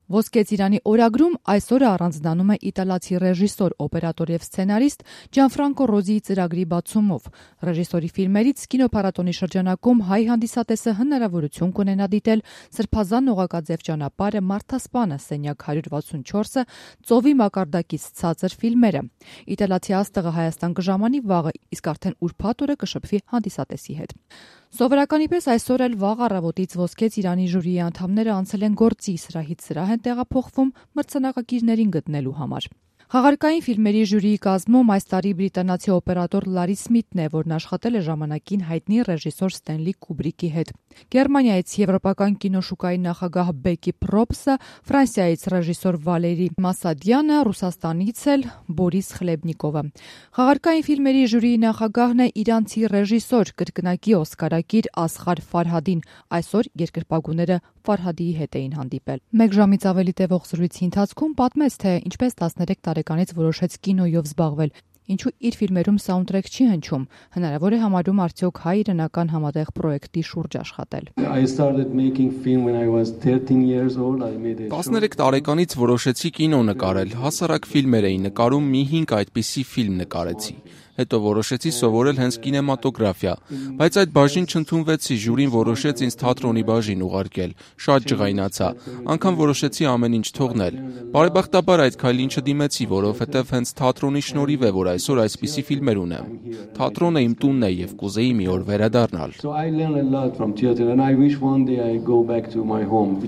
Ոսկե ծիրանի օրագրում այսօրը առանձնանում է իտալացի ռեժիսոր, օպերատոր եւ սցենարիստ Ջանֆրանկո Ռոզիի ծրագրի բացումով։ Ռեժիսորի ֆիլմերից կինոփառատոնի շրջանակում հայ հանդիսատեսը հնարավորություն կունենա դիտել Սրբազան օղակաձև ճանապարհը, Մարդասպանը, Սենյակ 164-ը, Ծովի մակարդակից ցածր ֆիլմերը։ Իտալացի աստղը Հայաստան կժամանի վաղը, իսկ արդեն ուրբաթ օրը կշփվի հանդիսատեսի հետ։ Սովորականի պես այսօր էլ վաղ առավոտից Ոսկե ծիրանի ժյուրիի անդամները անցել են գործի, սրահից սրահ են տեղափոխվում մրցանակակիրներին գտնելու համար։ Խաղարկային ֆիլմերի ժյուրիի կազմում այս տարի բրիտանացի օպերատոր Լարի Սմիթն է, որն աշխատել է ժամանակին հայտնի ռեժիսոր Ստենլի Կուբրիկի հետ։ Գերմանիայից եվրոպական կինոշուկայի նախագահ Բեկի Պրոպսը, Ֆրանսիայից ռեժիսոր Վալերի Մասադյանը, Ռուսաստանից էլ Բորիս Խլեբնիկովը։ Խաղարկային ֆիլմերի ժյուրիի նախագահն է իրանցի ռեժիսոր, կրկնակի օսկարակիր Ասղար Ֆարհադին։ Այսօր երկրպագուները Ֆարհադիի հետ էին հանդիպել։ Մեկ ժամից ավելի տևող զրույցի ընթացքում պատմեց, թե ինչպես 13 տարեկանից որոշեց կինոյով զբաղվել, ինչու իր ֆիլմերում սաունդթրեք չի հնչում, հնարավոր է համարում արդյոք հայ-իրանական համատեղ պրոյեկտի շուրջ աշխատել։ 13 տարեկանից որոշեցի կինո նկարել, հասարակ ֆիլմեր էի նկարում, մի 5 այդպիսի ֆիլմ նկարեցի։ Հետո որոշեցի սովորել հենց կինեմատոգրաֆիա, բայց այդ բաժին չընդունվեցի, ժյուրին որոշեց ինձ թատրոնի բաժին ուղարկել, շատ ջղայնացա, անգամ որոշեցի ամեն ինչ թողնել։ Բարեբախտաբար այդ քայլին չդիմեցի, որովհետև հենց թատրոնի շնորհիվ է, որ այսօր այսպիսի ֆիլմեր ունեմ։ Թատրոնը իմ տունն է եւ կուզեի մի օր վերադառնալ։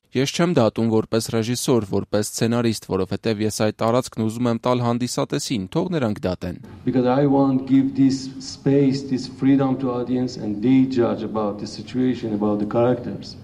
Ես չեմ դատում որպես ռեժիսոր, որպես սցենարիստ, որովհետև ես այդ տարածքն ուզում եմ տալ հանդիսատեսին, թող նրանք դատեն։ Give this space, this freedom to audience, and they judge about the situation, about the characters.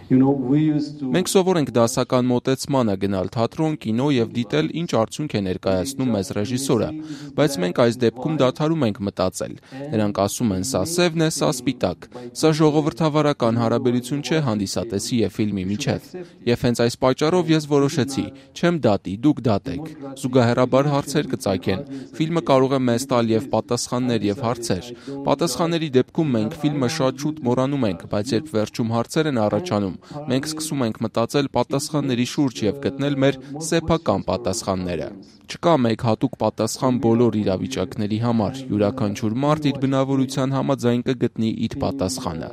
Մենք սովոր ենք դասական մոտեցմանը գնալ թատրոն, կինո եւ դիտել ինչ արդյունք է ներկայացնում մեզ ռեժիսորը, բայց մենք այս դեպքում դադարում ենք մտածել։ Նրանք ասում են սա սևն է, սա սպիտակ։ Սա ժողովրդավարական հարաբերություն չէ հանդիսատեսի եւ ֆիլմի միջեւ։ Եվ հենց այս պատճառով ես որոշեցի, չեմ դատի, դուք դատեք։ Զուգահեռաբար հարցեր կծագեն։ Ֆիլմը կարող է մեզ տալ եւ պատասխաններ եւ հարցեր։ Պատասխանների դեպքում մենք ֆիլմը շատ շուտ մոռանում ենք, բայց երբ վերջում հարցեր են առաջանում, մենք սկսում ենք մտածել պատասխանների շուրջ եւ գտնել մեր սեփական պատասխանները։ Չկա մեկ հատուկ պատասխան բոլոր իրավիճակների համար։ Յուրաքանչյուր մարդ իր բնավորության համաձայն կգտնի իր պատասխանը։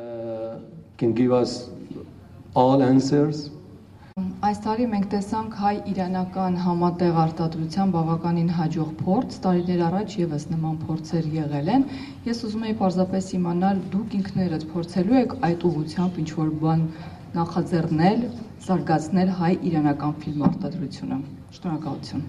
Այս տարի մենք տեսանք հայ-իրանական համատեղ արտադրության բավականին հաջող փորձ, տարիներ առաջ եւս նման փորձեր եղել են։ Ես ուզում եի պարզապես իմանալ, դուք ինքներդ փորձելու եք այդ ուղղությամբ ինչ-որ բան նախաձեռնել, զարգացնել հայ-իրանական ֆիլմ արտադրությունը։ Շնորհակալություն։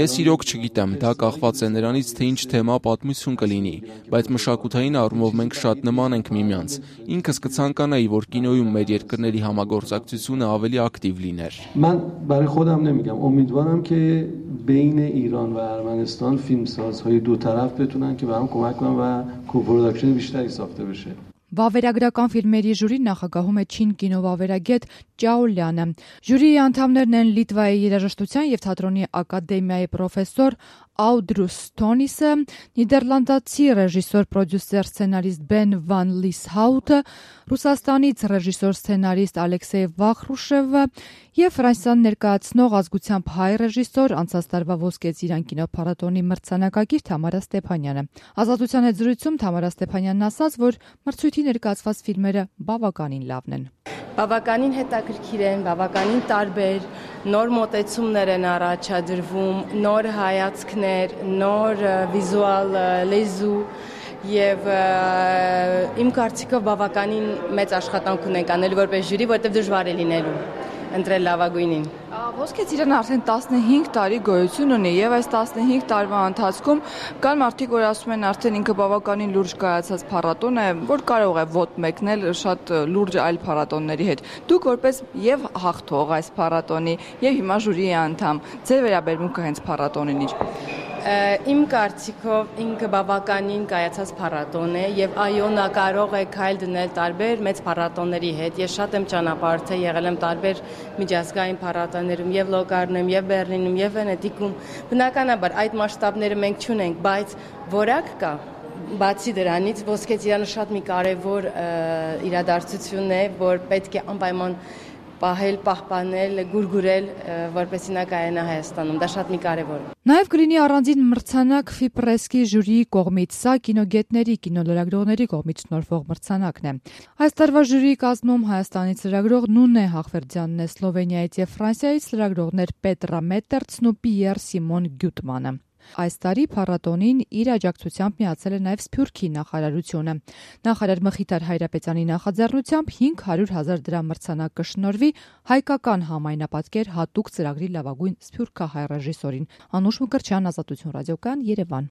Ես իրոք չգիտեմ, դա կախված է նրանից, թե ինչ թեմա պատմություն կլինի, բայց մշակութային առումով մենք շատ նման ենք միմյանց։ Ինքս կցանկանայի, որ կինոյում մեր երկրների համագործակցությունը ավելի ակտիվ լիներ։ من برای خودم نمیگم، امیدوارم که بین ایران و ارمنستان فیلمسازهای دو طرف بتونن که به هم کمک کنن و کوپروداکشن بیشتری ساخته بشه. Վավերագրական ֆիլմերի ժյուրին նախագահում է չին կինովավերագետ Ճաուլյանը։ Ժյուրիի անդամներն են Լիտվայի երաժշտության եւ թատրոնի ակադեմիայի պրոֆեսոր Աուդրուս Թոնիսը, նիդերլանդացի ռեժիսոր, պրոդյուսեր, սցենարիստ Բեն Վան Լիսհաուտը, Ռուսաստանից ռեժիսոր, սցենարիստ Ալեքսեյ Վախրուշևը եւ Ֆրանսիան ներկայացնող ազգությամբ հայ ռեժիսոր, անցած տարվա Ոսկե ծիրան կինոփառատոնի մրցանակակիր Թամարա Ստեփանյանը։ Ազատության հետ զրույցում Թամարա Ստեփանյանն ասաց, որ մրցույթի ներկայացված ֆիլմերը բավականին լավն են։ Բավականին հետաքրքիր են, բավականին տարբեր, նոր մոտեցումներ են առաջադրվում, նոր հայացքներ, նոր վիզուալ լեզու եւ իմ կարծիքով բավականին մեծ աշխատանք ունենք անելու որպես ժյուրի, որտեղ դժվար է լինելու ընտրել լավագույնին։ Ոսկե ծիրանը արդեն 15 տարի գոյություն ունի եւ այս 15 տարվա ընթացքում կան մարդիկ, որ ասում են արդեն ինքը բավականին լուրջ կայացած փառատոն է, որ կարող է ոտ մեկնել շատ լուրջ այլ փառատոնների հետ։ Դուք որպես եւ հաղթող այս փառատոնի եւ հիմա ժյուրիի անդամ, ձեր վերաբերմունքը հենց փառատոնին իր։ Իմ կարծիքով ինքը բավականին կայացած փառատոն է եւ այո, նա կարող է քայլ դնել տարբեր մեծ փառատոնների հետ։ Ես շատ եմ ճանապարհորդել, եղել եմ տարբեր միջազգային փառատոներում եւ Լոկարնում, եւ Բեռլինում, եւ Վենետիկում։ Բնականաբար այդ մասշտաբները մենք չունենք, բայց որակ կա։ Բացի դրանից Ոսկե ծիրանը շատ մի կարևոր իրադարձություն է, որ պետք է անպայման պահել, պահպանել, գուրգուրել, որպեսզի նա կայանա Հայաստանում։ Դա շատ մի կարևոր է։ Նաև կլինի առանձին մրցանակ FIPRES-ի ժյուրիի կողմից։ Սա կինոգետների, կինոլրագրողների կողմից շնորհվող մրցանակն է։ Այս տարվա ժյուրիի կազմում Հայաստանից լրագրող Նունե Հախվերդյանն է, Սլովենիայից եւ Ֆրանսիայից լրագրողներ Պետրա Մետերցն ու Պիեր Սիմոն Գյուտմանը։ Այս տարի փառատոնին իր աջակցությամբ միացել է նաև Սփյուռքի նախարարությունը։ Նախարար Մխիթար Հայրապետյանի նախաձեռնությամբ 500,000 դրամ մրցանակ կշնորհվի հայկական համայնապատկեր հատուկ ծրագրի լավագույն սփյուռքահայ ռեժիսորին։ Անուշ Մկրտչյան, Ազատություն ռադիոկայան, Երևան։